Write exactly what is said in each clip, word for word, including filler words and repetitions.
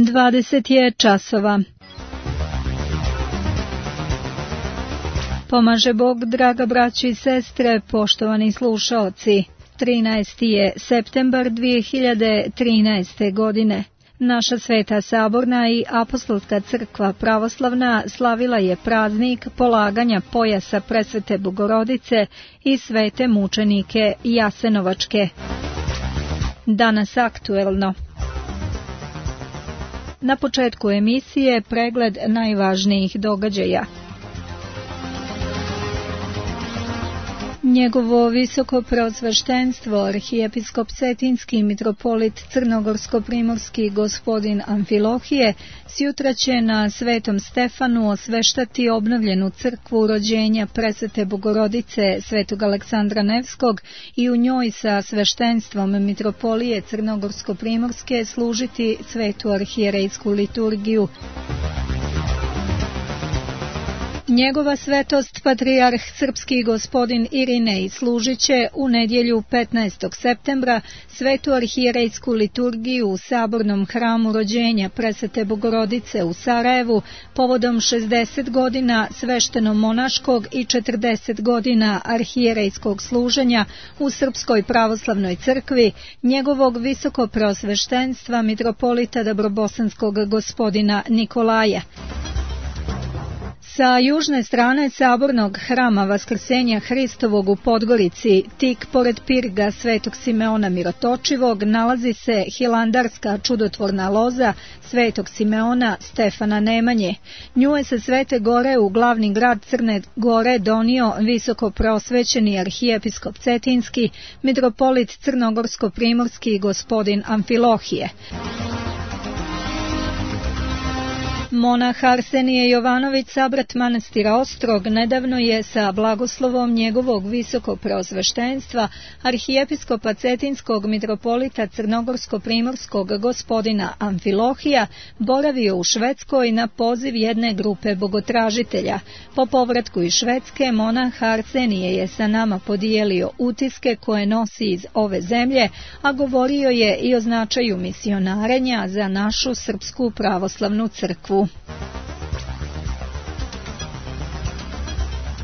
dvadeset je časova. Pomaže Bog, draga braćo i sestre, poštovani slušaoci. trinaesti je septembar dvije hiljade trinaeste. godine. Naša Sveta Saborna i Apostolska crkva pravoslavna slavila je praznik polaganja pojasa Presvete Bogorodice i svete mučenike Jasenovačke. Danas aktuelno. Na početku emisije pregled najvažnijih događaja. Njegovo visoko preosveštenstvo, arhijepiskop Cetinski mitropolit Crnogorsko-primorski gospodin Amfilohije, sjutra će na Svetom Stefanu osveštati obnovljenu crkvu rođenja Presvete Bogorodice Svetog Aleksandra Nevskog i u njoj sa sveštenstvom mitropolije Crnogorsko-primorske služiti svetu arhijerejsku liturgiju. Njegova svetost patrijarh srpski gospodin Irinej služit će u nedjelju petnaestog septembra svetu arhijerejsku liturgiju u Sabornom hramu rođenja Presvete Bogorodice u Sarajevu povodom šezdeset godina svešteno-monaškog i četrdeset godina arhijerejskog služenja u Srpskoj pravoslavnoj crkvi njegovog visoko preosveštenstva mitropolita Dabrobosanskog gospodina Nikolaja. Sa južne strane Sabornog hrama Vaskrsenja Hristovog u Podgorici, tik pored pirga Svetog Simeona Mirotočivog, nalazi se hilandarska čudotvorna loza Svetog Simeona Stefana Nemanje. Nju je sa Svete Gore u glavni grad Crne Gore donio visoko preosvećeni arhijepiskop Cetinski, mitropolit Crnogorsko-primorski gospodin Amfilohije. Monah Arsenije Jovanović, sabrat manastira Ostrog, nedavno je sa blagoslovom njegovog visoko preosveštenstva arhijepiskopa Cetinskog mitropolita Crnogorsko-primorskog gospodina Amfilohija boravio u Švedskoj na poziv jedne grupe bogotražitelja. Po povratku iz Švedske, monah Arsenije je sa nama podijelio utiske koje nosi iz ove zemlje, a govorio je i o značaju misionarenja za našu Srpsku pravoslavnu crkvu.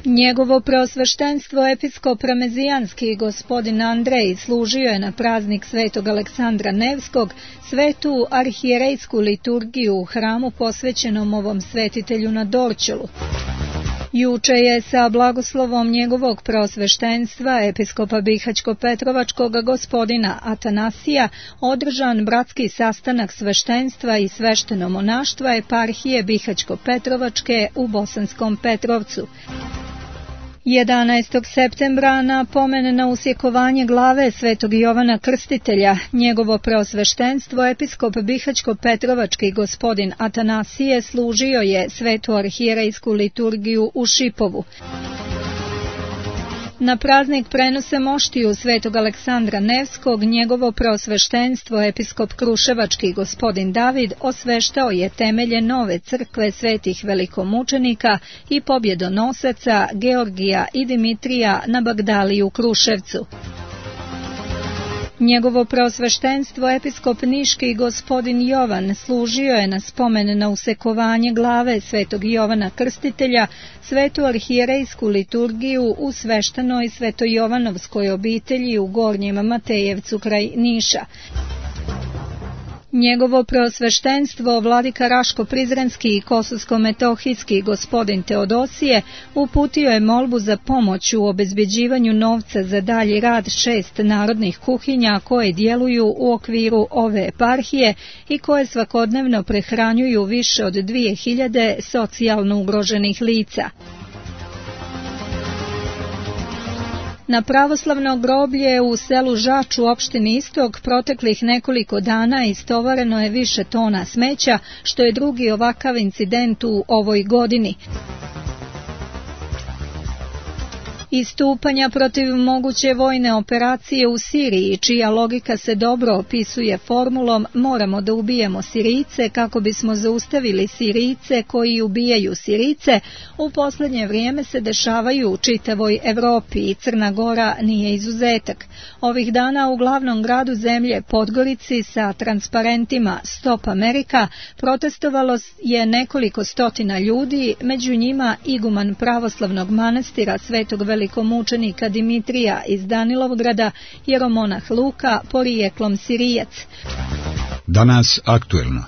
Njegovo preosveštenstvo episkop Ramezijanski gospodin Andrej služio je na praznik Svetog Aleksandra Nevskog svetu arhijerejsku liturgiju u hramu posvećenom ovom svetitelju na Dorćolu. Juče je sa blagoslovom njegovog preosveštenstva episkopa Bihaćko-Petrovačkog gospodina Atanasija održan bratski sastanak sveštenstva i svešteno-monaštva eparhije Bihaćko-Petrovačke u Bosanskom Petrovcu. jedanaestog septembra na pomen na usjekovanje glave Svetog Jovana Krstitelja, njegovo preosveštenstvo episkop Bihaćko-Petrovački gospodin Atanasije služio je svetu arhijerejsku liturgiju u Šipovu. Na praznik prenose moštiju Svetog Aleksandra Nevskog, njegovo preosveštenstvo episkop Kruševački gospodin David osveštao je temelje nove crkve svetih velikomučenika i pobjedonosaca Georgija i Dimitrija na Bagdaliji u Kruševcu. Njegovo preosveštenstvo episkop Niški gospodin Jovan služio je na spomen na usekovanje glave Svetog Jovana Krstitelja svetu arhijerejsku liturgiju u sveštenoj svetojovanovskoj obitelji u Gornjem Matejevcu kraj Niša. Njegovo preosveštenstvo vladika Raško-Prizrenski i Kosovsko-Metohijski gospodin Teodosije uputio je molbu za pomoć u obezbeđivanju novca za dalji rad šest narodnih kuhinja koje djeluju u okviru ove eparhije i koje svakodnevno prehranjuju više od dvije hiljade socijalno ugroženih lica. Na pravoslavno groblje u selu Žač u opštini Istok proteklih nekoliko dana istovareno je više tona smeća, što je drugi ovakav incident u ovoj godini. Istupanja protiv moguće vojne operacije u Siriji, čija logika se dobro opisuje formulom moramo da ubijemo Sirijce kako bismo zaustavili Sirijce koji ubijaju Sirijce, u posljednje vrijeme se dešavaju u čitavoj Evropi i Crna Gora nije izuzetak. Ovih dana u glavnom gradu zemlje Podgorici sa transparentima Stop Amerika protestovalo je nekoliko stotina ljudi, među njima iguman pravoslavnog manastira Svetog velikomučenika Dimitrija iz Danilovgrada, jeromonah Luka, porijeklom Sirijac. Danas aktuelno.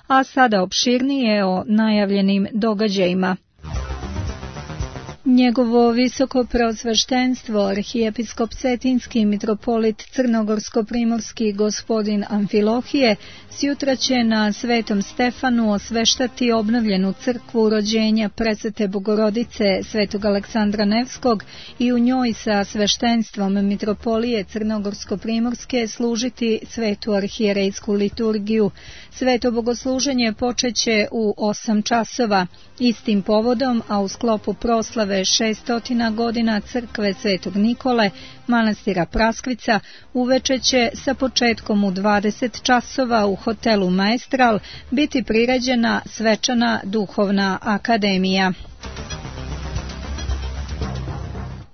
A sada opširnije o najavljenim događajima. Njegovo visoko preosveštenstvo, arhijepiskop Cetinski mitropolit Crnogorsko-primorski gospodin Amfilohije, sjutra će na Svetom Stefanu osveštati obnovljenu crkvu rođenja Presvete Bogorodice Svetog Aleksandra Nevskog i u njoj sa sveštenstvom mitropolije Crnogorsko-primorske služiti svetu arhijerejsku liturgiju. Sveto bogosluženje počeće u osam časova. Istim povodom, a u sklopu proslave šestotina godina crkve Svetog Nikole, manastira Praskvica, uveče će sa početkom u dvadeset časova u hotelu Maestral biti priređena svečana duhovna akademija.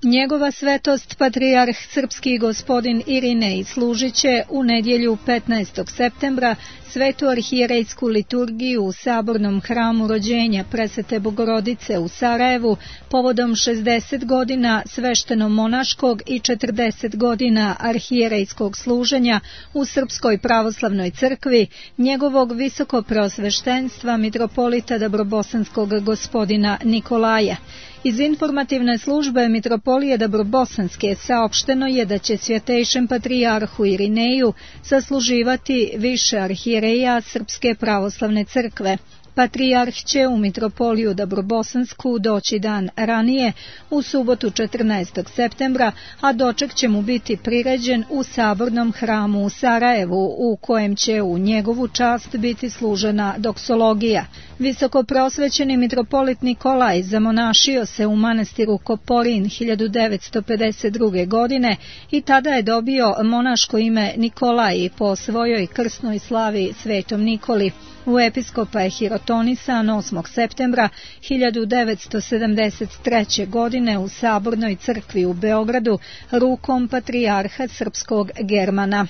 Njegova svetost patrijarh srpski gospodin Irinej služit će u nedjelju petnaestog septembra svetu arhijerejsku liturgiju u sabornom hramu rođenja Presvete Bogorodice u Sarajevu povodom šezdeset godina svešteno-monaškog i četrdeset godina arhijerejskog služenja u Srpskoj pravoslavnoj crkvi njegovog visoko preosveštenstva mitropolita Dobrobosanskog gospodina Nikolaja. Iz informativne službe mitropolije Dobrobosanske saopšteno je da će svjetejšem patrijarhu Irineju sasluživati više arhijereja Srpske pravoslavne crkve. Patrijarh će u mitropoliju Dobrobosansku doći dan ranije, u subotu četrnaestog septembra, a doček će mu biti priređen u sabornom hramu u Sarajevu, u kojem će u njegovu čast biti služena doksologija. Visoko prosvećeni mitropolit Nikolaj zamonašio se u manastiru Koporin hiljadu devetsto pedeset druge. godine i tada je dobio monaško ime Nikolaj po svojoj krsnoj slavi Svetom Nikoli. U episkopa je hirotonisan osmog septembra hiljadu devetsto sedamdeset treće. godine u Sabornoj crkvi u Beogradu rukom patrijarha srpskog Germana.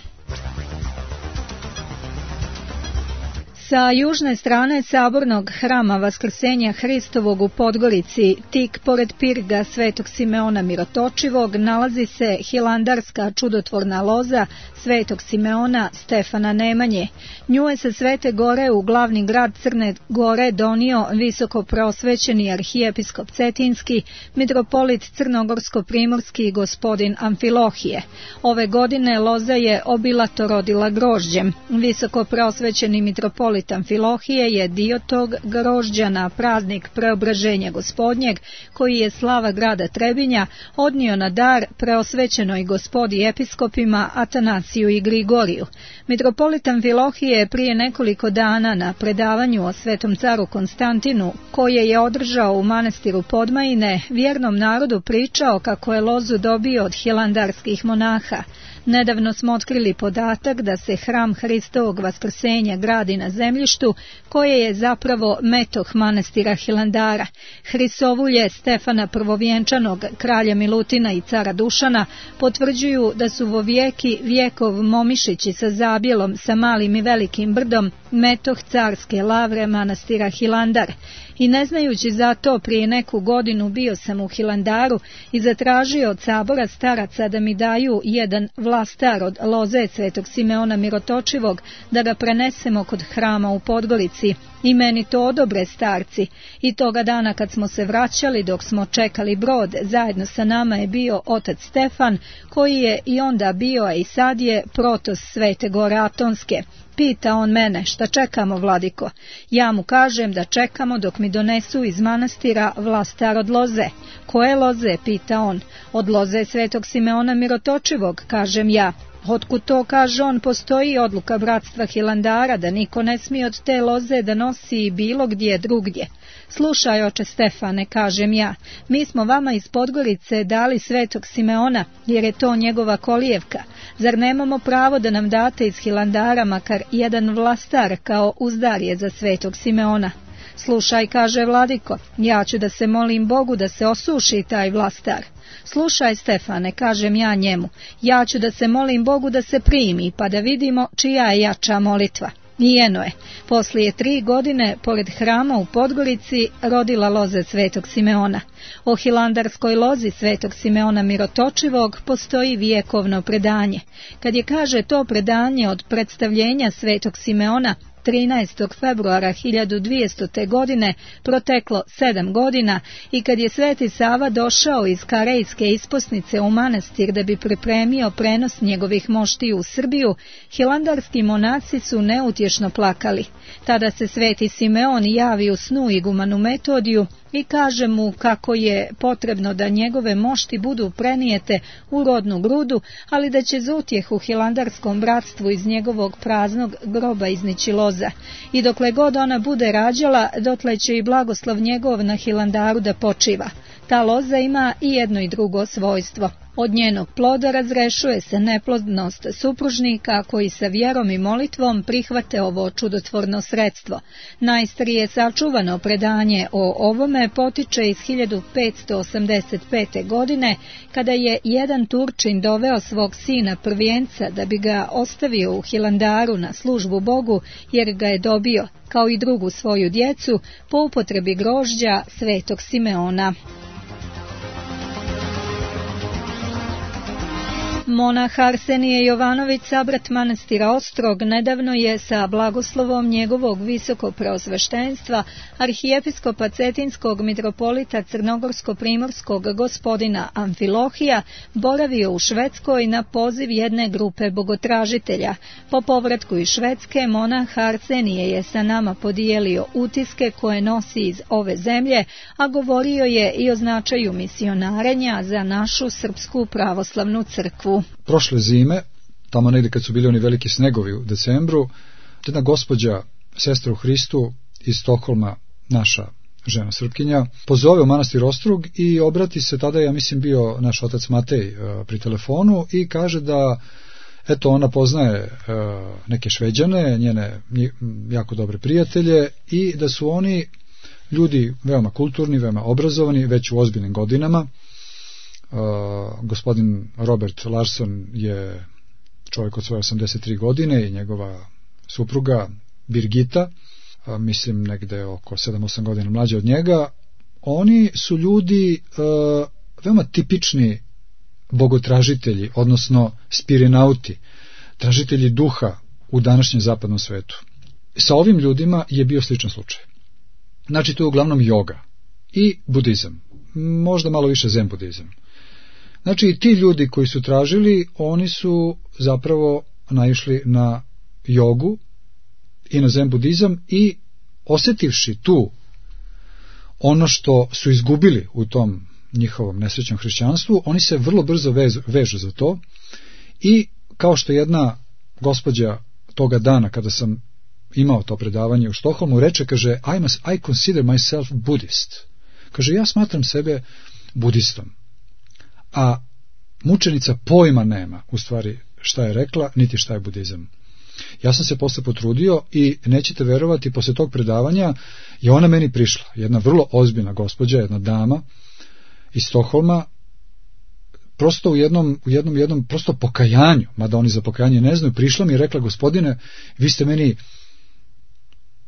Sa južne strane sabornog hrama Vaskrsenja Hristovog u Podgorici, tik pored pirga Svetog Simeona Mirotočivog, nalazi se hilandarska čudotvorna loza Svetog Simeona Stefana Nemanje. Nju je sa Svete Gore u glavni grad Crne Gore donio visoko preosvećeni arhijepiskop Cetinski, mitropolit Crnogorsko-primorski gospodin Amfilohije. Ove godine loza je obilato rodila grožđem. Visoko preosvećeni mitropolit Amfilohije je dio tog grožđa na praznik Preobraženja Gospodnjeg, koji je slava grada Trebinja odnio na dar preosvećenoj gospodi episkopima Atanasiju i Grigoriju. Mitropolit Amfilohije je prije nekoliko dana na predavanju o svetom caru Konstantinu, koje je održao u manastiru Podmajine, vjernom narodu pričao kako je lozu dobio od hilandarskih monaha. Nedavno smo otkrili podatak da se hram Hristovog Vaskrsenja gradi na zemljištu koje je zapravo metoh manastira Hilandara. Hrisovulje Stefana Prvovjenčanog, kralja Milutina i cara Dušana potvrđuju da su vo vijeki vjekov Momišići sa Zabjelom, sa Malim i Velikim brdom metoh carske lavre manastira Hilandar. I ne znajući za to, prije neku godinu bio sam u Hilandaru i zatražio od sabora staraca da mi daju jedan vlastar od loze Svetog Simeona Mirotočivog da ga prenesemo kod hrama u Podgorici. I meni to odobre starci. I toga dana kad smo se vraćali, dok smo čekali brod, zajedno sa nama je bio otac Stefan, koji je i onda bio, a i sad je protos Svete Gore Atonske. Pita on mene, šta čekamo, vladiko? Ja mu kažem da čekamo dok mi donesu iz manastira vlastar od loze. Koje loze, pita on. Od loze Svetog Simeona Mirotočivog, kažem ja. Otkud to, kaže on, postoji odluka bratstva Hilandara da niko ne smije od te loze da nosi bilo gdje drugdje. Slušaj, oče Stefane, kažem ja, mi smo vama iz Podgorice dali svetog Simeona, jer je to njegova kolijevka. Zar nemamo pravo da nam date iz Hilandara makar jedan vlastar kao uzdarje za svetog Simeona? Slušaj, kaže vladiko, ja ću da se molim Bogu da se osuši taj vlastar. Slušaj, Stefane, kažem ja njemu, ja ću da se molim Bogu da se primi, pa da vidimo čija je jača molitva. I eno je, poslije tri godine, pored hrama u Podgorici, rodila loza svetog Simeona. O hilandarskoj lozi svetog Simeona Mirotočivog postoji vjekovno predanje. Kad je, kaže, to predanje od predstavljenja svetog Simeona trinaestog februara hiljadu dvjestote. godine proteklo sedam godina i kad je Sveti Sava došao iz Karejske isposnice u manastir da bi pripremio prenos njegovih moštiju u Srbiju, hilandarski monaci su neutješno plakali. Tada se Sveti Simeon javi u snu igumanu Metodiju i kaže mu kako je potrebno da njegove mošti budu prenijete u rodnu grudu, ali da će za utjehu hilandarskom bratstvu iz njegovog praznog groba iznići loza. I dokle god ona bude rađala, dotle će i blagoslov njegov na Hilandaru da počiva. Ta loza ima i jedno i drugo svojstvo. Od njenog ploda razrešuje se neplodnost supružnika koji sa vjerom i molitvom prihvate ovo čudotvorno sredstvo. Najstarije sačuvano predanje o ovome potiče iz hiljadu petsto osamdeset pete. godine, kada je jedan Turčin doveo svog sina prvijenca da bi ga ostavio u Hilandaru na službu Bogu, jer ga je dobio, kao i drugu svoju djecu, po upotrebi grožđa svetog Simeona. Monah Arsenije Jovanović, sabrat manastira Ostrog, nedavno je sa blagoslovom njegovog visokopreosveštenstva arhijepiskopa Cetinskog mitropolita Crnogorsko-primorskog gospodina Amfilohija boravio u Švedskoj na poziv jedne grupe bogotražitelja. Po povratku iz Švedske, monah Arsenije je sa nama podijelio utiske koje nosi iz ove zemlje, a govorio je i o značaju misionarenja za našu Srpsku pravoslavnu crkvu. Prošle zime, tamo negdje kad su bili oni veliki snegovi u decembru, jedna gospođa, sestra u Hristu iz Stokholma, naša žena Srpkinja, pozove u manastir Ostrog i obrati se, tada ja mislim bio naš otac Matej pri telefonu i kaže da eto ona poznaje neke Šveđane, njene jako dobre prijatelje i da su oni ljudi veoma kulturni, veoma obrazovani, već u ozbiljnim godinama. Uh, gospodin Robert Larsson je čovjek od svoje osamdeset tri godine i njegova supruga Birgitta, uh, mislim negde oko sedam osam godina mlađa od njega. Oni su ljudi uh, veoma tipični bogotražitelji, odnosno spirinauti, tražitelji duha u današnjem zapadnom svetu. Sa ovim ljudima je bio sličan slučaj. Znači to je uglavnom joga i budizam, možda malo više zen budizam. Znači ti ljudi koji su tražili, oni su zapravo naišli na jogu i na zen budizam i osjetivši tu ono što su izgubili u tom njihovom nesrećnom hrišćanstvu, oni se vrlo brzo vežu, vežu za to i kao što jedna gospođa toga dana kada sam imao to predavanje u Štokholmu reče, kaže, I, must, I consider myself Buddhist. Kaže, ja smatram sebe budistom. A mučenica pojma nema u stvari šta je rekla, niti šta je budizam. Ja sam se posle potrudio i nećete verovati, posle tog predavanja je ona meni prišla, jedna vrlo ozbiljna gospođa, jedna dama iz Stokholma, prosto u jednom, u jednom, jednom prosto pokajanju, mada oni za pokajanje ne znaju, prišla mi i rekla, gospodine, vi ste meni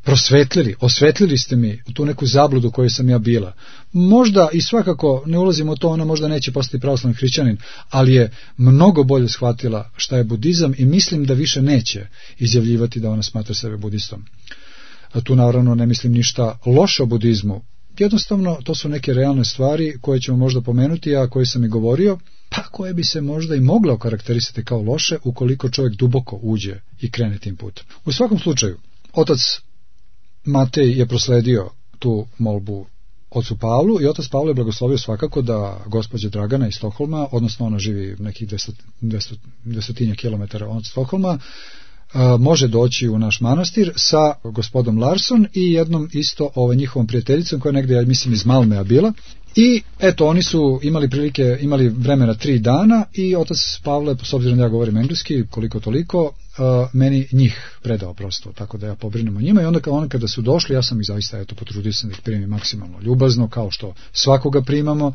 prosvetlili, osvetlili ste mi tu neku zabludu koju sam ja bila. Možda i svakako, ne ulazimo u to, ona možda neće postati pravoslavni hrišćanin, ali je mnogo bolje shvatila šta je budizam i mislim da više neće izjavljivati da ona smatra sebe budistom. A tu naravno ne mislim ništa loše o budizmu. Jednostavno, to su neke realne stvari koje ćemo možda pomenuti, a koje sam i govorio, pa koje bi se možda i mogla okarakterisati kao loše ukoliko čovjek duboko uđe i krene tim putem. U svakom slučaju, otac Matej je prosledio tu molbu ocu Pavlu i otac Pavle je blagoslovio svakako da gospođa Dragana iz Stokholma, odnosno ona živi nekih dvesto kilometara od Stokholma, može doći u naš manastir sa gospodom Larsson i jednom isto ovaj, njihovom prijateljicom koja negdje, ja mislim, iz Malmea bila. I eto, oni su imali prilike, imali vremena tri dana i otac Pavle, s obzirom da ja govorim engleski, koliko toliko, uh, meni njih predao prosto, tako da ja pobrinem o njima. I onda, onda kada su došli, ja sam ih zaista eto, potrudio sam da ih primim maksimalno ljubazno, kao što svakoga primamo,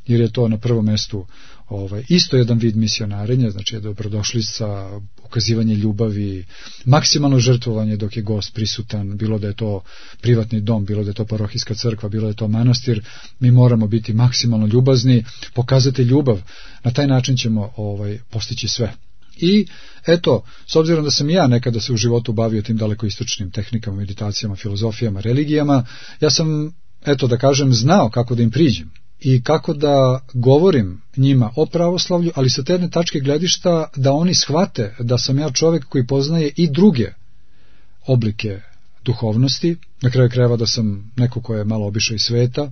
jer je to na prvom mestu ovaj, isto jedan vid misionarenja, znači je dobrodošlica, ukazivanje ljubavi, maksimalno žrtvovanje dok je gost prisutan, bilo da je to privatni dom, bilo da je to parohijska crkva, bilo da je to manastir, mi moramo biti maksimalno ljubazni, pokazati ljubav, na taj način ćemo ovaj, postići sve. I eto, s obzirom da sam ja nekada se u životu bavio tim dalekoistočnim tehnikama, meditacijama, filozofijama, religijama, ja sam, eto da kažem, znao kako da im priđem i kako da govorim njima o pravoslavlju, ali sa te jedne tačke gledišta da oni shvate da sam ja čovjek koji poznaje i druge oblike duhovnosti, na kraju krajeva da sam neko ko je malo obišao iz sveta.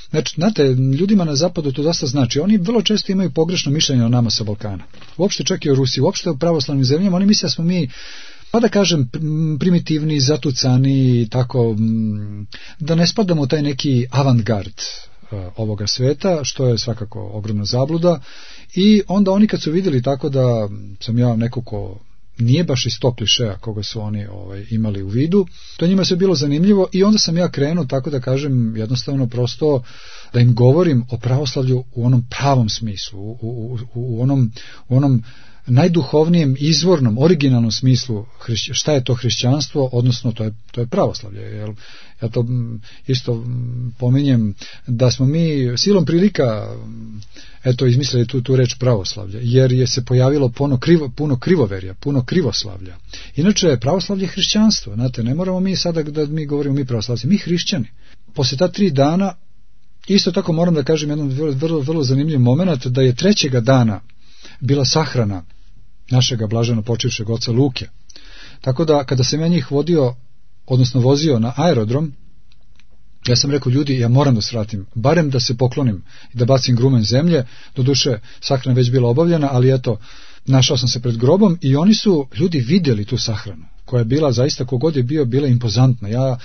Znači, znate, ljudima na zapadu to dosta znači, oni vrlo često imaju pogrešno mišljenje o nama sa Balkana, uopšte čak i o Rusiji, uopšte o pravoslavnim zemljama, oni misle da smo mi, pa da kažem, primitivni, zatucani, tako, da ne spadamo u taj neki avantgard ovoga sveta, što je svakako ogromna zabluda. I onda oni kad su vidjeli tako da sam ja neko ko nije baš iz tog klišeja koga su oni ovaj, imali u vidu, to njima se bilo zanimljivo i onda sam ja krenuo, tako da kažem, jednostavno prosto da im govorim o pravoslavlju u onom pravom smislu, u, u, u, u onom, u onom najduhovnijem, izvornom, originalnom smislu hrišć, šta je to hrišćanstvo, odnosno to je, to je pravoslavlje. Jel? Ja to isto pominjem da smo mi silom prilika eto izmislili tu, tu reč pravoslavlje, jer je se pojavilo puno, krivo, puno krivoverja, puno krivoslavlja. Inače, pravoslavlje je hrišćanstvo, znate, ne moramo mi sada da mi govorimo mi pravoslavci, mi hrišćani. Posle ta tri dana, isto tako moram da kažem jedan vrlo, vrlo, vrlo zanimljiv moment, da je trećega dana bila sahrana našega blaženo počivšeg oca Luke. Tako da kada sam ja njih vodio, odnosno vozio na aerodrom, ja sam rekao, ljudi, ja moram da svratim, barem da se poklonim i da bacim grumen zemlje, doduše sahrana već bila obavljena, ali eto, našao sam se pred grobom i oni su, ljudi, vidjeli tu sahranu, koja je bila zaista, kogod je bio, bila impozantna. Ja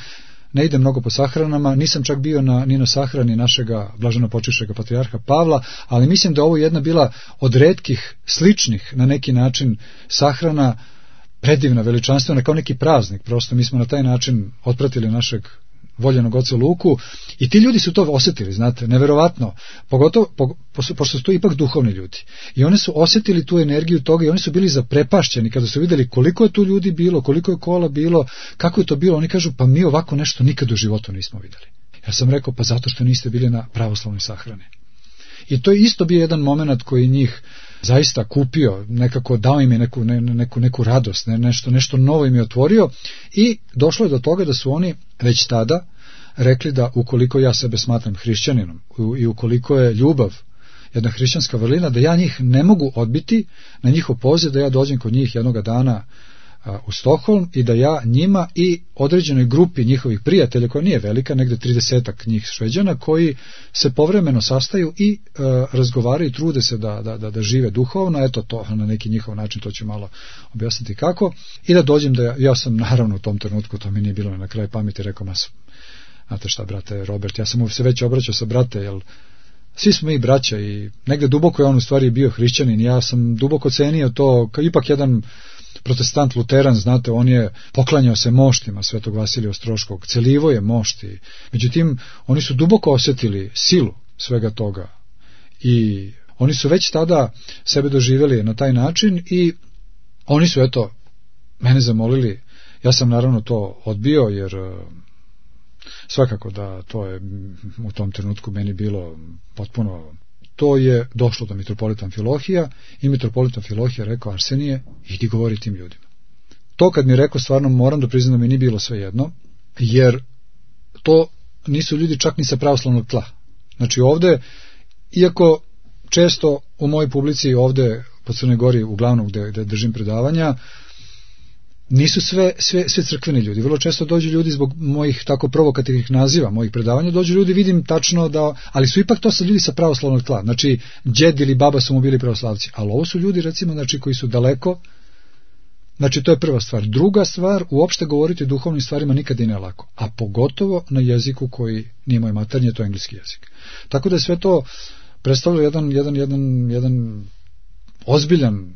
ne idem mnogo po sahranama, nisam čak bio na, ni na sahrani našega blaženo počivšega patrijarha Pavla, ali mislim da ovo jedna bila od retkih, sličnih na neki način sahrana, predivna, veličanstvena, kao neki praznik. Prosto mi smo na taj način otpratili našeg voljenog oca Luku i ti ljudi su to osjetili, znate, neverovatno, pogotovo, po, pošto su to ipak duhovni ljudi. I oni su osjetili tu energiju toga i oni su bili zaprepašćeni kada su vidjeli koliko je tu ljudi bilo, koliko je kola bilo, kako je to bilo. Oni kažu, pa mi ovako nešto nikad u životu nismo vidjeli. Ja sam rekao, pa zato što niste bili na pravoslavnoj sahrani. I to je isto bio jedan moment koji njih zaista kupio, nekako dao im je neku, ne, neku, neku radost, ne, nešto, nešto novo im je otvorio i došlo je do toga da su oni već tada rekli da ukoliko ja sebe smatram hrišćaninom i ukoliko je ljubav jedna hrišćanska vrlina, da ja njih ne mogu odbiti na njihov poziv da ja dođem kod njih jednoga dana u Stokholm i da ja njima i određenoj grupi njihovih prijatelja, koja nije velika, negde tridesetak njih Šveđana, koji se povremeno sastaju i e, razgovaraju i trude se da, da, da, da žive duhovno, eto to na neki njihov način, to ću malo objasniti kako, i da dođem da ja, ja sam naravno u tom trenutku, to mi nije bilo na kraju pameti, rekao, mas, znate šta, brate Robert, ja sam mu se već obraćao sa brate, jel svi smo mi braća i negde duboko je on u stvari bio hrišćanin, ja sam duboko cenio to, kao ipak jedan protestant luteran, znate, on je poklanjao se moštima Svetog Vasilija Ostroškog, celivo je mošti, međutim oni su duboko osjetili silu svega toga i oni su već tada sebe doživjeli na taj način i oni su eto mene zamolili, ja sam naravno to odbio jer svakako da to je u tom trenutku meni bilo potpuno. To je došlo do mitropolita Amfilohija i mitropolita Amfilohija rekao, Arsenije, idi govori tim ljudima. To kad mi je rekao, stvarno moram da priznam da mi nije bilo sve jedno, jer to nisu ljudi čak ni sa pravoslavnog tla. Znači ovde, iako često u mojoj publici ovde po Crnoj Gori, uglavnom gde, gde držim predavanja, nisu sve, sve, sve crkveni ljudi. Vrlo često dođu ljudi zbog mojih tako provokativnih naziva, mojih predavanja, dođu ljudi, vidim tačno da, ali su ipak to sa ljudi sa pravoslavnog tla. Znači, džed ili baba su mu bili pravoslavci, ali ovo su ljudi, recimo, znači, koji su daleko. Znači, to je prva stvar. Druga stvar, uopšte govoriti o duhovnim stvarima nikad i ne lako, a pogotovo na jeziku koji nije moj maternje, to je engleski jezik. Tako da je sve to predstavlja jedan, jedan, jedan, jedan ozbiljan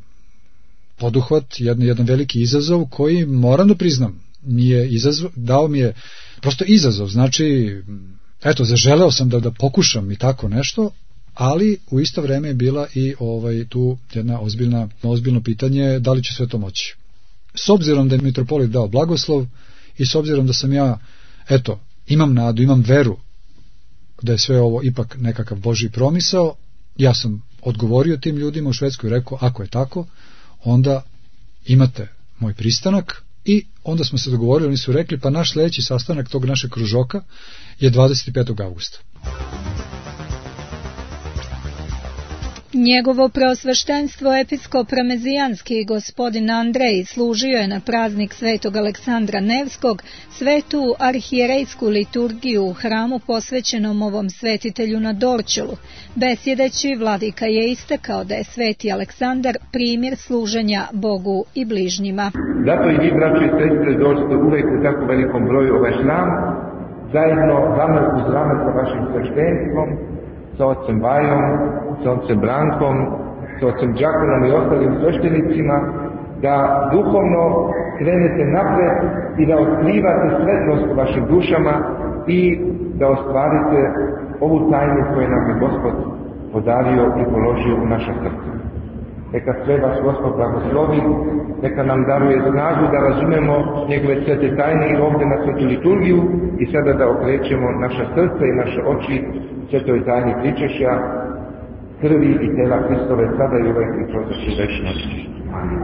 poduhvat, jedan, jedan veliki izazov koji, moram da priznam, mi je izazov, dao mi je prosto izazov, znači, eto, zaželeo sam da, da pokušam i tako nešto, ali u isto vreme je bila i ovaj, tu jedna ozbiljna, ozbiljno pitanje da li će sve to moći. S obzirom da je mitropolit dao blagoslov i s obzirom da sam ja, eto, imam nadu, imam veru da je sve ovo ipak nekakav Božji promisao, ja sam odgovorio tim ljudima u Švedskoj i rekao, ako je tako, onda imate moj pristanak, i onda smo se dogovorili, oni su rekli, pa naš sledeći sastanak tog našeg kružoka je dvadeset petog avgusta. Njegovo preosveštenstvo episkop Ramezijanski gospodin Andrej služio je na praznik svetog Aleksandra Nevskog svetu arhijerejsku liturgiju u hramu posvećenom ovom svetitelju na Dorćolu. Besjedeći, vladika je istakao da je sveti Aleksandar primjer služenja Bogu i bližnjima. Zato i vi, braći i sestre, dođete uvek u tako velikom broju ovaj hram, zajedno rame uz rame sa vašim sveštenstvom, sa ocem Bajom, sa ocem Brankom, sa ocem Đakonom i ostalim sveštenicima, da duhovno krenete napred i da otkrivate svetlost u vašim dušama i da ostvarite ovu tajnu koju nam je Gospod podario i položio u naša srca. Neka sve vas Gospod blagoslovi, neka nam daruje snagu da razumemo njegove svete tajne i ovdje na svetu liturgiju i sada da okrećemo naša srca i naše oči svetoj tajni pričešća, krvi i tela Hristove, sada i uvek i kroz večnost. Amin.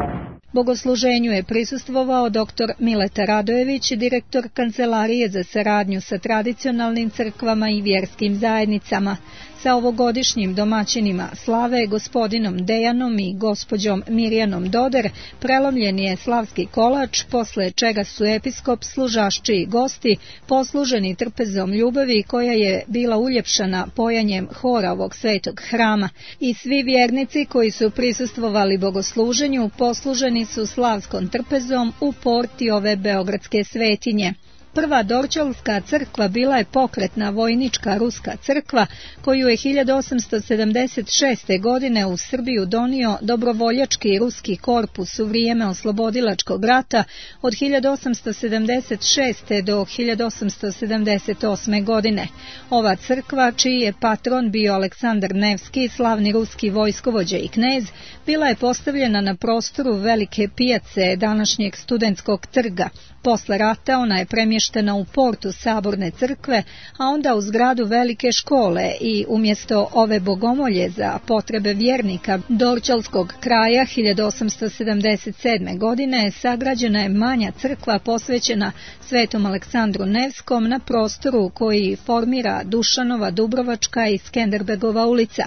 Bogosluženju je prisustvovao doktor Mileta Radojević, direktor Kancelarije za saradnju sa tradicionalnim crkvama i vjerskim zajednicama. Sa ovogodišnjim domaćinima slave, gospodinom Dejanom i gospođom Mirjanom Doder, prelomljen je slavski kolač, posle čega su episkop, služašči i gosti posluženi trpezom ljubavi koja je bila uljepšana pojanjem hora ovog svetog hrama. I svi vjernici koji su prisustvovali bogosluženju posluženi su slavskom trpezom u porti ove beogradske svetinje. Prva Dorćolska crkva bila je pokretna vojnička ruska crkva koju je hiljadu osamsto sedamdeset šeste. godine u Srbiju donio dobrovoljački ruski korpus u vrijeme oslobodilačkog rata od hiljadu osamsto sedamdeset šeste. do hiljadu osamsto sedamdeset osme. godine. Ova crkva, čiji je patron bio Aleksandar Nevski, slavni ruski vojskovođa i knez, bila je postavljena na prostoru velike pijace današnjeg Studentskog trga. Posle rata ona je premještena u portu Saborne crkve, a onda u zgradu velike škole i umjesto ove bogomolje za potrebe vjernika Dorćolskog kraja hiljadu osamsto sedamdeset sedme. godine sagrađena je manja crkva posvećena svetom Aleksandru Nevskom na prostoru koji formira Dušanova, Dubrovačka i Skenderbegova ulica.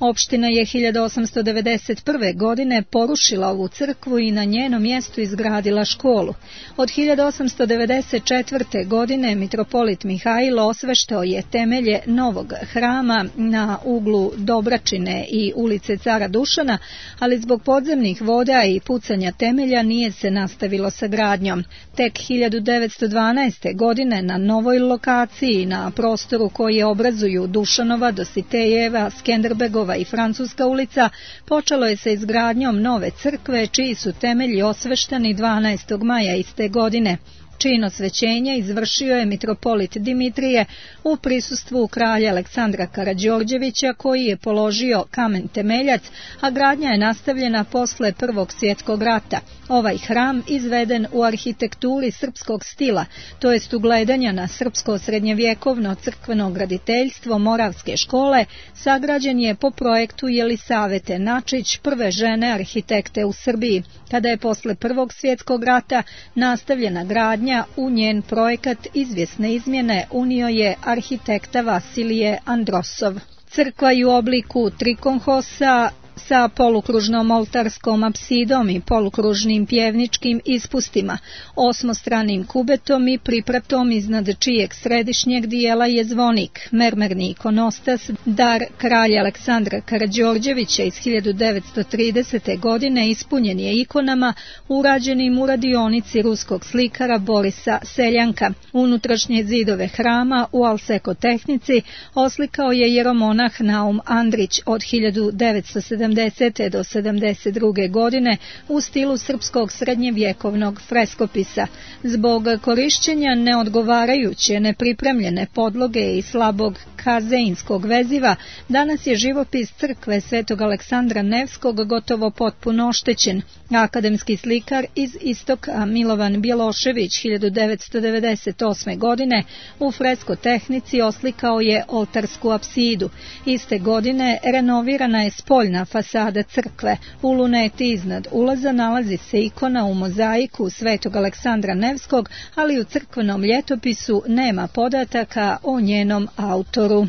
Opština je hiljadu osamsto devedeset prve. godine porušila ovu crkvu i na njenom mjestu izgradila školu. Od hiljadu osamsto devedeset četvrte. godine mitropolit Mihajlo osveštao je temelje novog hrama na uglu Dobračine i ulice Cara Dušana, ali zbog podzemnih voda i pucanja temelja nije se nastavilo sa gradnjom. Tek hiljadu devetsto dvanaeste. godine na novoj lokaciji na prostoru koje obrazuju Dušanova, Dositejeva, Skenderbegova i Francuska ulica počelo je sa izgradnjom nove crkve čiji su temelji osvešteni dvanaestog maja iste godine. Čin osvećenja izvršio je mitropolit Dimitrije u prisustvu kralja Aleksandra Karađorđevića koji je položio kamen temeljac, a gradnja je nastavljena posle Prvog svjetskog rata. Ovaj hram, izveden u arhitekturi srpskog stila, to jest ugledanja na srpsko srednjevjekovno crkveno graditeljstvo Moravske škole, sagrađen je po projektu Jelisavete Načić, prve žene arhitekte u Srbiji. Kada je posle Prvog svjetskog rata nastavljena gradnja, u njen projekat izvjesne izmjene unio je arhitekta Vasilije Androsov. Crkva je u obliku trikonhosa sa polukružnom oltarskom apsidom i polukružnim pjevničkim ispustima, osmostranim kubetom i pripratom iznad čijeg središnjeg dijela je zvonik, mermerni ikonostas, dar kralja Aleksandra Karađorđevića iz hiljadu devetsto tridesete. godine, ispunjen je ikonama urađenim u radionici ruskog slikara Borisa Seljanka. Unutrašnje zidove hrama u alsekotehnici oslikao je jeromonah Naum Andrić od hiljadu devetsto sedamdesete. do sedamdeset druge. godine u stilu srpskog srednjevjekovnog freskopisa. Zbog korišćenja neodgovarajuće, nepripremljene podloge i slabog kazeinskog veziva, danas je živopis crkve Svetog Aleksandra Nevskog gotovo potpuno oštećen. Akademski slikar iz istoka Milovan Bjelošević hiljadu devetsto devedeset osme. godine u freskotehnici oslikao je oltarsku apsidu. Iste godine renovirana je spoljna fasada crkve. U luneti iznad ulaza nalazi se ikona u mozaiku Svetog Aleksandra Nevskog, ali u crkvenom ljetopisu nema podataka o njenom autoru.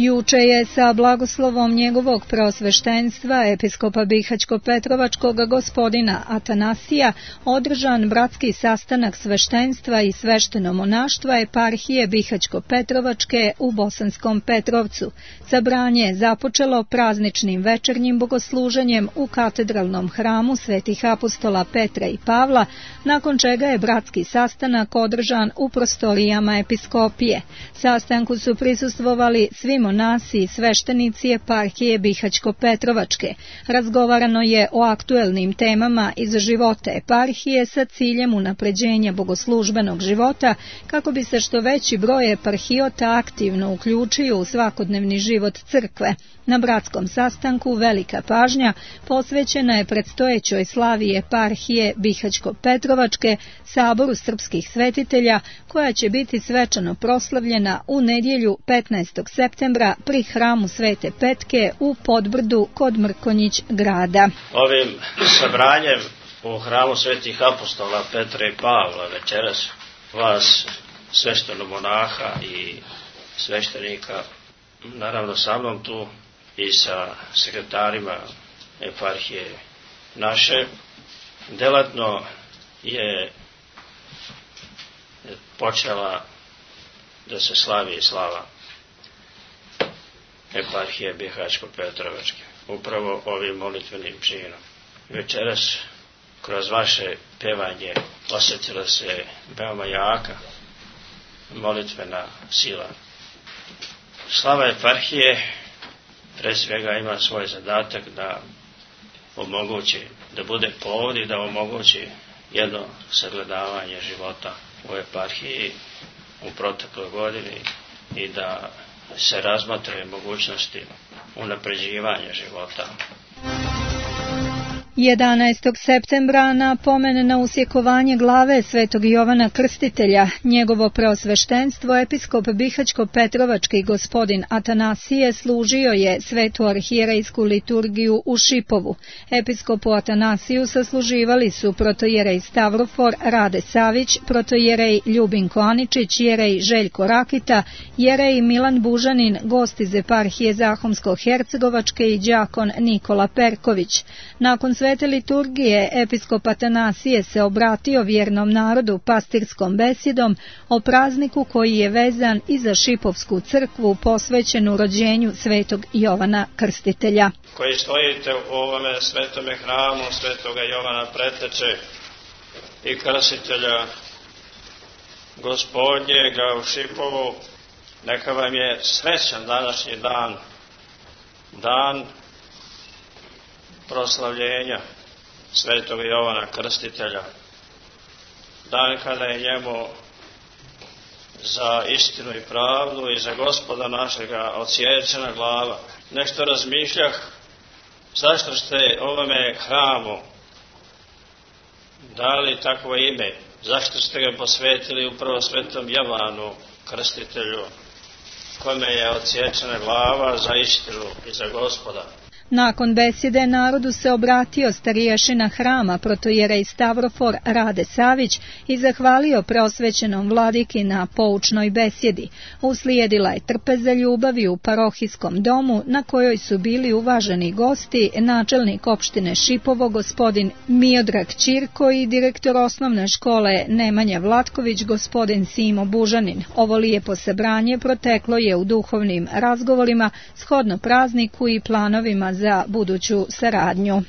Juče je sa blagoslovom njegovog preosveštenstva episkopa Bihaćko-Petrovačkog gospodina Atanasija održan bratski sastanak sveštenstva i sveštenomonaštva eparhije Bihaćko-Petrovačke u Bosanskom Petrovcu. Sabranje je započelo prazničnim večernjim bogosluženjem u katedralnom hramu svetih apostola Petra i Pavla, nakon čega je bratski sastanak održan u prostorijama episkopije. Sastanku su prisustvovali svi monasi i sveštenici eparhije Bihaćko-Petrovačke. Razgovarano je o aktuelnim temama iz života eparhije sa ciljem unapređenja bogoslužbenog života, kako bi se što veći broj eparhijota aktivno uključio u svakodnevni život crkve. Na bratskom sastanku velika pažnja posvećena je predstojećoj slavi eparhije Bihaćko-Petrovačke, saboru srpskih svetitelja, koja će biti svečano proslavljena u nedjelju petnaestog septembra pri hramu Svete Petke u Podbrdu kod Mrkonjić grada. Ovim sabranjem u hramu svetih apostola Petra i Pavla večeras vas sveštenomonaha i sveštenika, naravno sa mnom tu i sa sekretarima eparhije naše, delatno je počela da se slavi slava eparhije Bihaćko-Petrovačke upravo ovim molitvenim činom. Večeras kroz vaše pevanje osjetila se veoma jaka molitvena sila. Slava eparhije pre svega ima svoj zadatak da omogući, da bude povod i da omogući jedno sagledavanje života u eparhiji u protekloj godini i da se razmatre mogućnosti unapređivanja života. jedanaestog septembra na pomen na usjekovanje glave Svetog Jovana Krstitelja, njegovo preosveštenstvo episkop Bihaćko-Petrovački gospodin Atanasije služio je svetu arhijerejsku liturgiju u Šipovu. Episkopu Atanasiju sasluživali su protojerej Stavrofor Rade Savić, protojerej Ljubinko Aničić, jerej Željko Rakita, jerej Milan Bužanin, gost iz eparhije Zahomsko-Hercegovačke i đakon Nikola Perković. Nakon svete liturgije episkop Atanasije se obratio vjernom narodu pastirskom besedom o prazniku koji je vezan i za Šipovsku crkvu posvećenu rođenju Svetog Jovana Krstitelja. Koji stojite u ovome svetome hramu Svetoga Jovana Preteče i Krstitelja Gospodnjega u Šipovu, neka vam je srećan današnji dan, dan proslavljenja Svetog Jovana Krstitelja, dan kada je njemu za istinu i pravdu i za Gospoda našega odsječena glava. Nešto razmišljah, zašto ste ovome hramu dali takvo ime, zašto ste ga posvetili upravo Svetom Jovanu Krstitelju, kome je odsječena glava za istinu i za Gospoda. Nakon besjede narodu se obratio starješina hrama protojerej Stavrofor Rade Savić i zahvalio preosvećenom vladiki na poučnoj besjedi. Uslijedila je trpeza ljubavi u parohijskom domu na kojoj su bili uvaženi gosti, načelnik opštine Šipovo gospodin Miodrag Ćirko i direktor osnovne škole Nemanja Vlatković gospodin Simo Bužanin. Ovo lijepo sabranje proteklo je u duhovnim razgovorima shodno prazniku i planovima za buduću saradnju.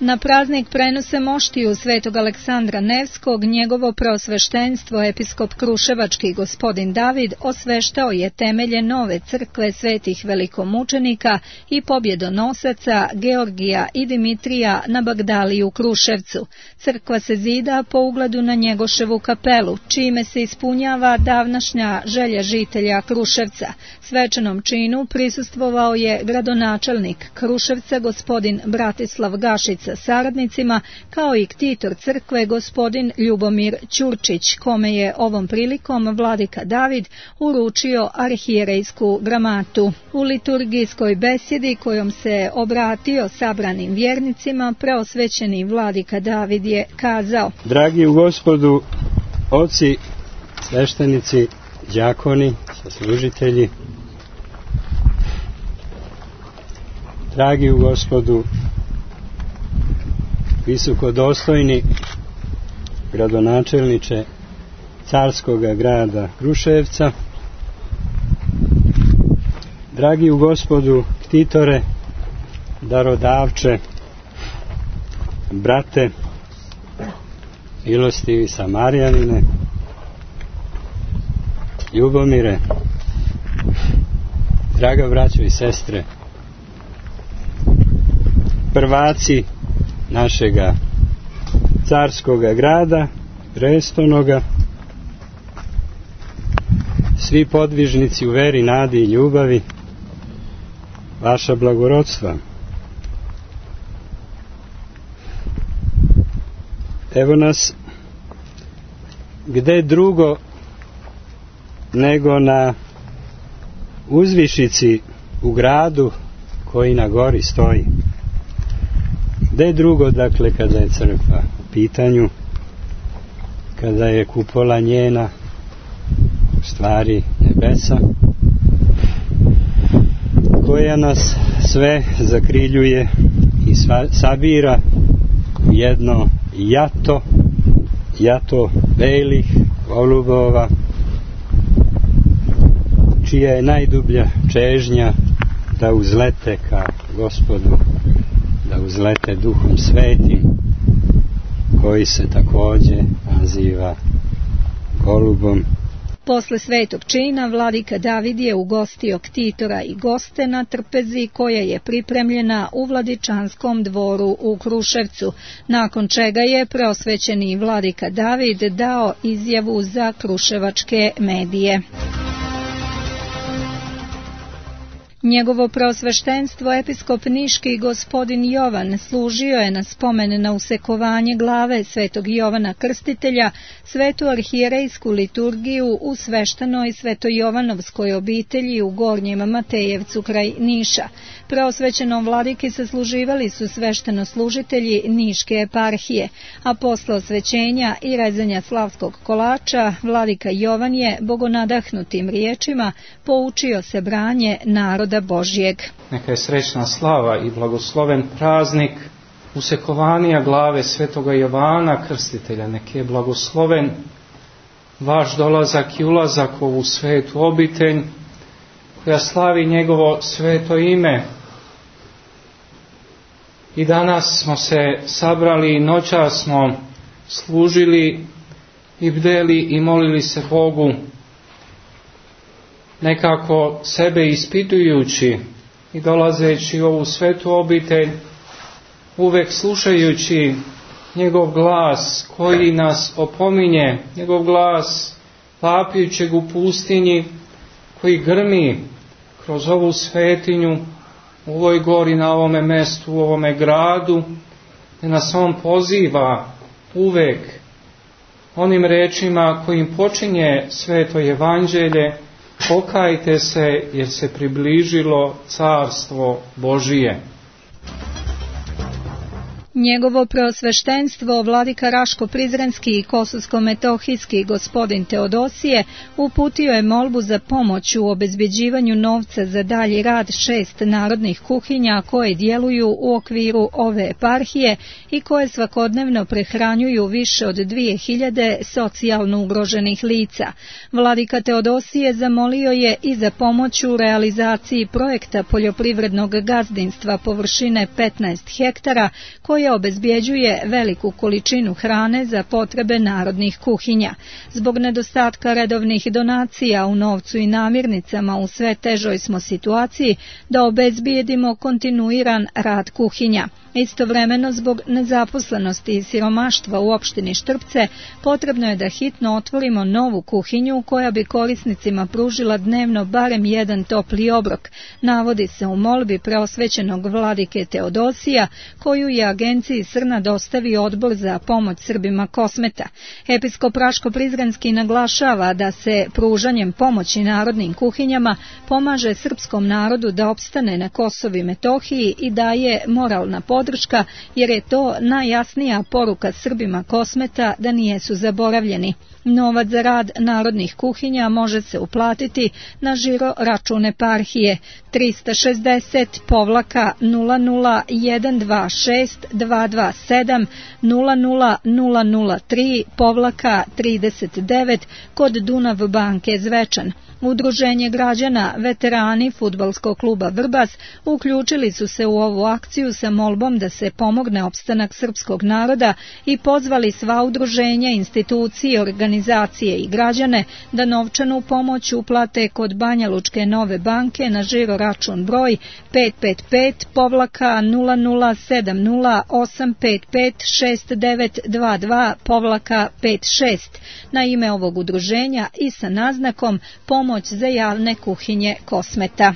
Na praznik prenose moštiju svetog Aleksandra Nevskog, njegovo preosveštenstvo episkop Kruševački gospodin David osveštao je temelje nove crkve svetih velikomučenika i pobjedonosaca Georgija i Dimitrija na Bagdaliji u Kruševcu. Crkva se zida po ugledu na Njegoševu kapelu, čime se ispunjava davnašnja želja žitelja Kruševca. Svečanom činu prisustvovao je gradonačelnik Kruševca gospodin Bratislav Gašić sa saradnicima, kao i ktitor crkve gospodin Ljubomir Ćurčić, kome je ovom prilikom vladika David uručio arhijerejsku gramatu. U liturgijskoj besjedi kojom se obratio sabranim vjernicima, preosvećeni vladika David je kazao: Dragi u Gospodu, oci, sveštenici, đakoni, saslužitelji, dragi u Gospodu, visokodostojni gradonačelniče carskoga grada Kruševca, dragi u Gospodu ktitore, darodavče, brate, milostivi Samarijanine, Ljubomire, draga braćo i sestre, prvaci našega carskoga grada, prestonoga, svi podvižnici u veri, nadi i ljubavi, vaša blagorodstva. Evo nas gde drugo nego na uzvišici u gradu koji na gori stoji. Gde drugo, dakle, kada je crkva u pitanju, kada je kupola njena u stvari nebesa, koja nas sve zakriljuje i sva, sabira u jedno jato, jato belih golubova, čija je najdublja čežnja da uzlete ka Gospodu, da uzlete Duhom Svetim, koji se takođe naziva golubom. Posle svetog čina vladika David je ugostio ktitora i goste na trpezi koja je pripremljena u Vladičanskom dvoru u Kruševcu, nakon čega je preosvećeni vladika David dao izjavu za kruševačke medije. Njegovo preosveštenstvo episkop niški gospodin Jovan služio je na spomen na usekovanje glave svetog Jovana Krstitelja, svetu arhijerejsku liturgiju u sveštenoj svetojovanovskoj obitelji u Gornjem Matejevcu kraj Niša. Preosvećenom vladiki sasluživali su sveštenoslužitelji Niške eparhije, a posle osvećenja i rezanja slavskog kolača, vladika Jovan je bogonadahnutim riječima poučio se branje naroda Božjeg. Neka je srećna slava i blagosloven praznik usekovanja glave svetoga Jovana Krstitelja. Neka je blagosloven vaš dolazak i ulazak u ovu svetu obitelj koja slavi njegovo sveto ime. I danas smo se sabrali i noćas smo služili i bdeli i molili se Bogu, nekako sebe ispitujući i dolazeći u ovu svetu obitelj, uvek slušajući njegov glas koji nas opominje, njegov glas vapijućeg u pustinji koji grmi kroz ovu svetinju, u ovoj gori, na ovome mestu, u ovome gradu, gdje nas on poziva uvek onim rečima kojim počinje sveto evanđelje, Pokajte se jer se približilo carstvo Božije. Njegovo preosveštenstvo vladika Raško-Prizrenski i Kosovsko-Metohijski gospodin Teodosije uputio je molbu za pomoć u obezbeđivanju novca za dalji rad šest narodnih kuhinja koje djeluju u okviru ove eparhije i koje svakodnevno prehranjuju više od dvije hiljade socijalno ugroženih lica. Vladika Teodosije zamolio je i za pomoć u realizaciji projekta poljoprivrednog gazdinstva površine petnaest hektara koje obezbjeđuje veliku količinu hrane za potrebe narodnih kuhinja. Zbog nedostatka redovnih donacija u novcu i namirnicama u sve težoj smo situaciji da obezbijedimo kontinuiran rad kuhinja. Istovremeno, zbog nezaposlenosti i siromaštva u opštini Štrpce, potrebno je da hitno otvorimo novu kuhinju koja bi korisnicima pružila dnevno barem jedan topli obrok, navodi se u molbi preosvećenog vladike Teodosija, koju je agenciji Srna dostavio Odbor za pomoć Srbima Kosmeta. Episkop Raško-Prizrenski naglašava da se pružanjem pomoći narodnim kuhinjama pomaže srpskom narodu da opstane na Kosovu i Metohiji i daje moralna podrška, jer je to najjasnija poruka Srbima Kosmeta da nijesu zaboravljeni. Novac za rad narodnih kuhinja može se uplatiti na žiro račun eparhije trista šezdeset nula nula jedan dva šest dva dva sedam nula nula nula nula tri trideset devet kod Dunav banke Zvečan. Udruženje građana veterani fudbalskog kluba Vrbas uključili su se u ovu akciju sa molbom da se pomogne opstanak srpskog naroda i pozvali sva udruženja, institucije, organizacije i građane da novčanu pomoć uplate kod Banjalučke Nove banke na žiro račun broj pet pet pet nula nula sedam nula osam pet pet šest devet dva dva pet šest na ime ovog udruženja i sa naznakom pomoć za javne kuhinje Kosmeta.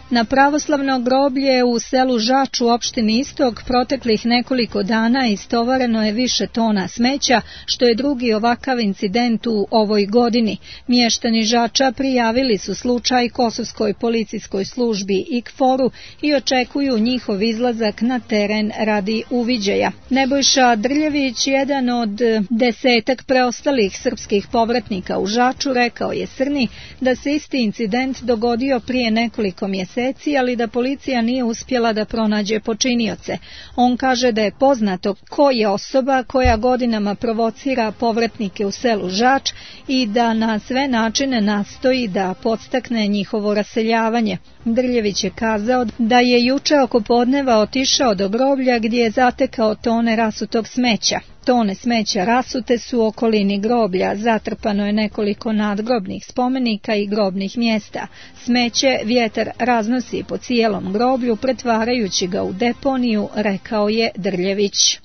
Na pravoslavno groblje u selu Žač u opštini Istok proteklih nekoliko dana istovareno je više tona smeća, što je drugi ovakav incident u ovoj godini. Mještani Žača prijavili su slučaj Kosovskoj policijskoj službi I K F O R-u i očekuju njihov izlazak na teren radi uviđaja. Nebojša Drljević, jedan od desetak preostalih srpskih povratnika u Žaču, rekao je Srni da se isti incident dogodio prije nekoliko mjeseci, ali da policija nije uspjela da pronađe počinioce. On kaže da je poznato ko je osoba koja godinama provocira povratnike u selu Žač i da na sve načine nastoji da podstakne njihovo raseljavanje. Drljević je kazao da je juče oko podneva otišao do groblja gdje je zatekao tone rasutog smeća. Tone smeća rasute su u okolini groblja, zatrpano je nekoliko nadgrobnih spomenika i grobnih mjesta. Smeće vjetar raznosi po cijelom groblju, pretvarajući ga u deponiju, rekao je Drljević.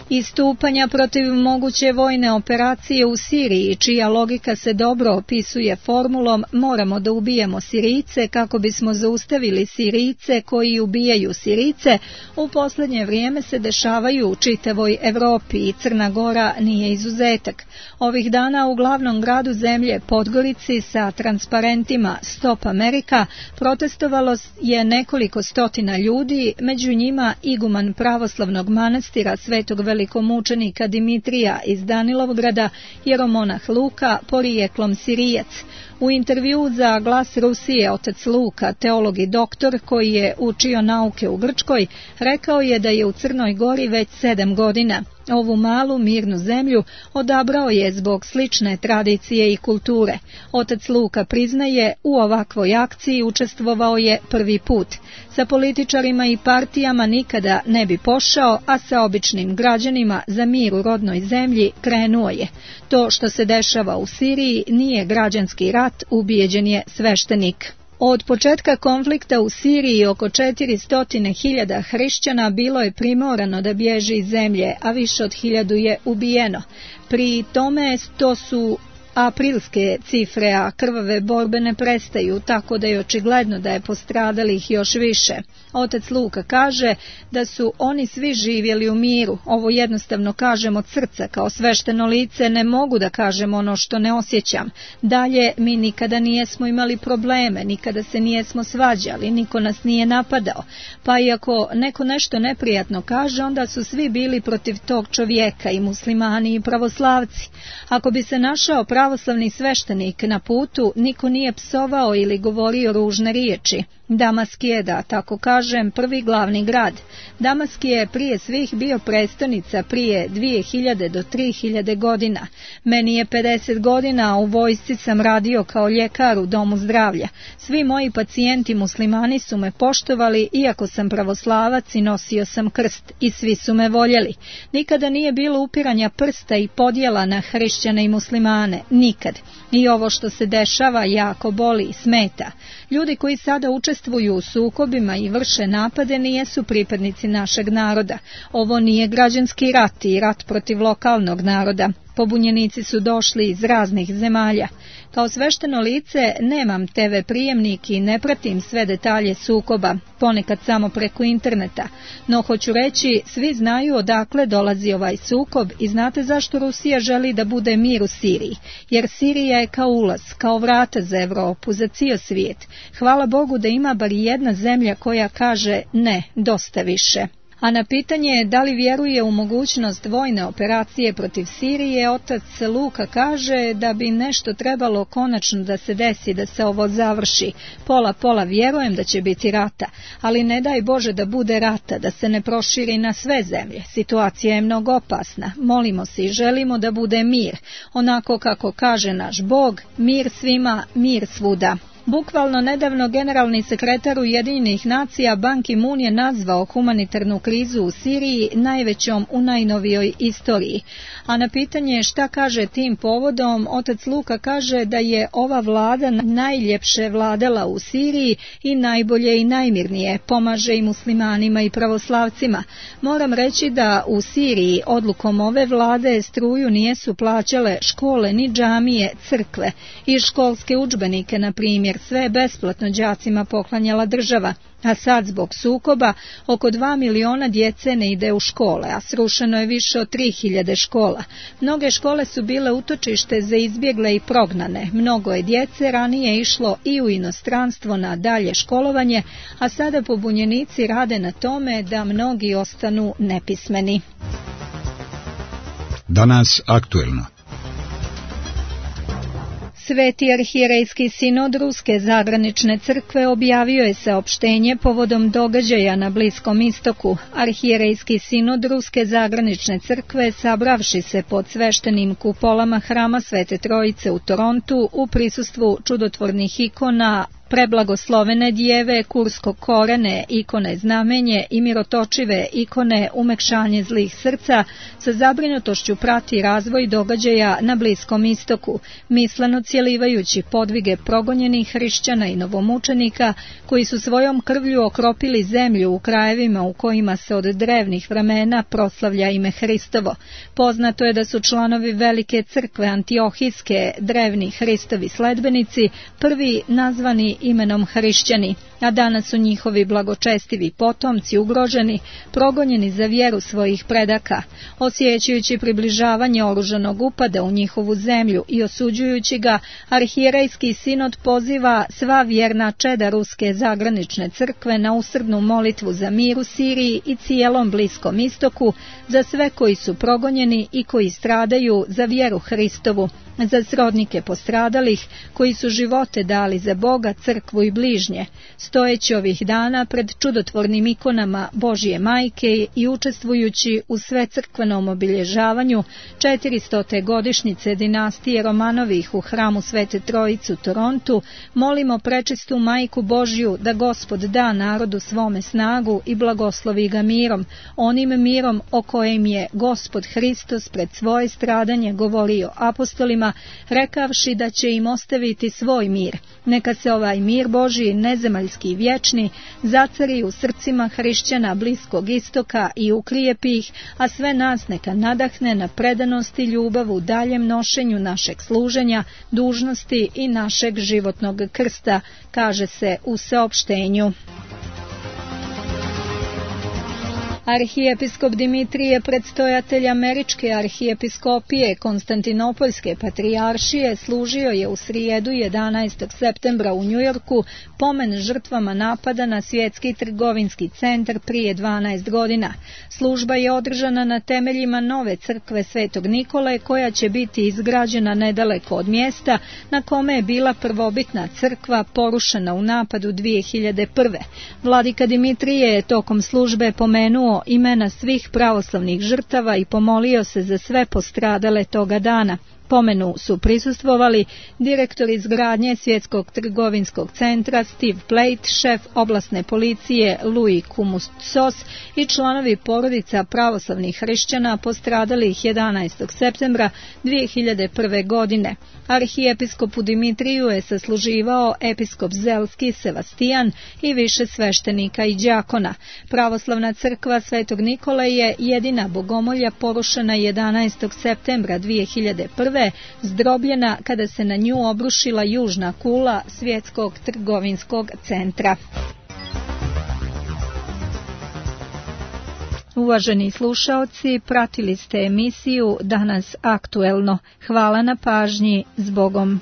Istupanja protiv moguće vojne operacije u Siriji, čija logika se dobro opisuje formulom moramo da ubijemo Sirijce kako bismo zaustavili Sirijce koji ubijaju Sirijce, u posljednje vrijeme se dešavaju u čitavoj Evropi i Crna Gora nije izuzetak. Ovih dana u glavnom gradu zemlje Podgorici sa transparentima Stop Amerika protestovalo je nekoliko stotina ljudi, među njima iguman pravoslavnog manastira Svetog velikomučenika Dimitrija iz Danilovgrada, jeromonah Luka, porijeklom Sirijac. U intervju za Glas Rusije otac Luka, teolog i doktor koji je učio nauke u Grčkoj, rekao je da je u Crnoj Gori već sedam godina. Ovu malu mirnu zemlju odabrao je zbog slične tradicije i kulture. Otac Luka priznaje, u ovakvoj akciji učestvovao je prvi put. Sa političarima i partijama nikada ne bi pošao, a sa običnim građanima za mir u rodnoj zemlji krenuo je. To što se dešava u Siriji nije građanski rat, ubijeđen je sveštenik. Od početka konflikta u Siriji oko četiristo hiljada hrišćana bilo je primorano da bježi iz zemlje, a više od hiljadu je ubijeno. Pri tome to su aprilske cifre, a krvave borbe ne prestaju, tako da je očigledno da je postradalih još više. Otac Luka kaže da su oni svi živjeli u miru. Ovo jednostavno kažem od srca, kao svešteno lice ne mogu da kažem ono što ne osjećam. Dalje, mi nikada nijesmo imali probleme, nikada se nijesmo svađali, niko nas nije napadao. Pa i ako neko nešto neprijatno kaže, onda su svi bili protiv tog čovjeka, i muslimani i pravoslavci. Ako bi se našao pravoslavni sveštenik na putu, niko nije psovao ili govorio ružne riječi. Damask je, da tako kažem, prvi glavni grad. Damask je prije svih bio prestonica prije dvije hiljade do tri hiljade godina. Meni je pedeset godina, a u vojsci sam radio kao ljekar u domu zdravlja. Svi moji pacijenti muslimani su me poštovali, iako sam pravoslavac i nosio sam krst, i svi su me voljeli. Nikada nije bilo upiranja prsta i podjela na hrišćane i muslimane, nikad. I ovo što se dešava jako boli i smeta. Ljudi koji sada učestvuju u sukobima i vrše napade nijesu pripadnici našeg naroda. Ovo nije građanski rat i rat protiv lokalnog naroda. Pobunjenici su došli iz raznih zemalja. Kao svešteno lice nemam te ve prijemnik i ne pratim sve detalje sukoba, ponekad samo preko interneta. No hoću reći, svi znaju odakle dolazi ovaj sukob i znate zašto Rusija želi da bude mir u Siriji. Jer Sirija je kao ulaz, kao vrata za Evropu, za cijel svijet. Hvala Bogu da ima bar jedna zemlja koja kaže ne, dosta više. A na pitanje da li vjeruje u mogućnost vojne operacije protiv Sirije, otac Luka kaže da bi nešto trebalo konačno da se desi, da se ovo završi. Pola pola vjerujem da će biti rata, ali ne daj Bože da bude rata, da se ne proširi na sve zemlje. Situacija je mnogo opasna. Molimo se i želimo da bude mir. Onako kako kaže naš Bog, mir svima, mir svuda. Bukvalno nedavno generalni sekretar Ujedinjenih nacija Ban Ki-moon je nazvao humanitarnu krizu u Siriji najvećom u najnovijoj istoriji. A na pitanje šta kaže tim povodom, otac Luka kaže da je ova vlada najljepše vladala u Siriji i najbolje i najmirnije, pomaže i muslimanima i pravoslavcima. Moram reći da u Siriji odlukom ove vlade struju nijesu plaćale škole ni džamije, crkve i školske udžbenike, na primjer. Sve je besplatno đacima poklanjala država, a sad zbog sukoba oko dva miliona djece ne ide u škole, a srušeno je više od tri hiljade škola. Mnoge škole su bile utočište za izbjegle i prognane. Mnogo je djece ranije išlo i u inostranstvo na dalje školovanje, a sada pobunjenici rade na tome da mnogi ostanu nepismeni. Danas aktuelno. Sveti arhijerejski sinod Ruske zagranične crkve objavio je saopštenje povodom događaja na Bliskom istoku. Arhijerejski sinod Ruske zagranične crkve, sabravši se pod sveštenim kupolama hrama Svete Trojice u Torontu u prisustvu čudotvornih ikona, preblagoslovene djeve, kurskog korene, ikone znamenje i mirotočive ikone umekšanje zlih srca, sa zabrinutošću prati razvoj događaja na Bliskom istoku, misleno cijelivajući podvige progonjenih hrišćana i novomučenika koji su svojom krvlju okropili zemlju u krajevima u kojima se od drevnih vremena proslavlja ime Hristovo. Poznato je da su članovi velike crkve Antiohijske, drevni Hristovi sledbenici, prvi nazvani imenom hrišćani, a danas su njihovi blagočestivi potomci ugroženi, progonjeni za vjeru svojih predaka. Osjećajući približavanje oružanog upada u njihovu zemlju i osuđujući ga, arhijerejski sinod poziva sva vjerna čeda Ruske zagranične crkve na usrdnu molitvu za mir u Siriji i cijelom Bliskom istoku, za sve koji su progonjeni i koji stradaju za vjeru Hristovu, za srodnike postradalih koji su živote dali za Boga, crkvu i bližnje. Stojeći ovih dana pred čudotvornim ikonama Božje majke i učestvujući u svecrkvenom obilježavanju četiristote godišnjice dinastije Romanovih u hramu Svete Trojice u Torontu, molimo prečistu Majku Božju da Gospod da narodu svome snagu i blagoslovi ga mirom, onim mirom o kojem je Gospod Hristos pred svoje stradanje govorio apostolima svima, rekavši da će im ostaviti svoj mir. Neka se ovaj mir Božji, nezemaljski i vječni, zacari u srcima hrišćana Bliskog istoka i ukrijepi ih, a sve nas neka nadahne na predanost i ljubav u daljem nošenju našeg služenja, dužnosti i našeg životnog krsta, kaže se u saopštenju. Arhijepiskop Dimitrije, predstojatelj Američke arhijepiskopije Konstantinopoljske patrijaršije, služio je u srijedu jedanaestog septembra u Njujorku pomen žrtvama napada na Svjetski trgovinski centar prije dvanaest godina. Služba je održana na temeljima nove crkve Svetog Nikole, koja će biti izgrađena nedaleko od mjesta na kome je bila prvobitna crkva porušena u napadu dvije hiljade prve. Vladika Dimitrije je tokom službe pomenuo imena svih pravoslavnih žrtava i pomolio se za sve postradale toga dana. Pomenu su prisustvovali direktor izgradnje Svjetskog trgovinskog centra Steve Plate, šef oblasne policije Louis Koumoutsos i članovi porodica pravoslavnih hrišćana postradalih jedanaestog septembra dvije hiljade prve. godine. Arhijepiskopu Dimitriju je sasluživao episkop Zelski Sevastijan i više sveštenika i đakona. Pravoslavna crkva Svetog Nikole je jedina bogomolja porušena jedanaestog septembra dvije hiljade prve, zdrobljena kada se na nju obrušila južna kula Svjetskog trgovinskog centra. Uvaženi slušaoci, pratili ste emisiju Danas aktuelno. Hvala na pažnji, s Bogom.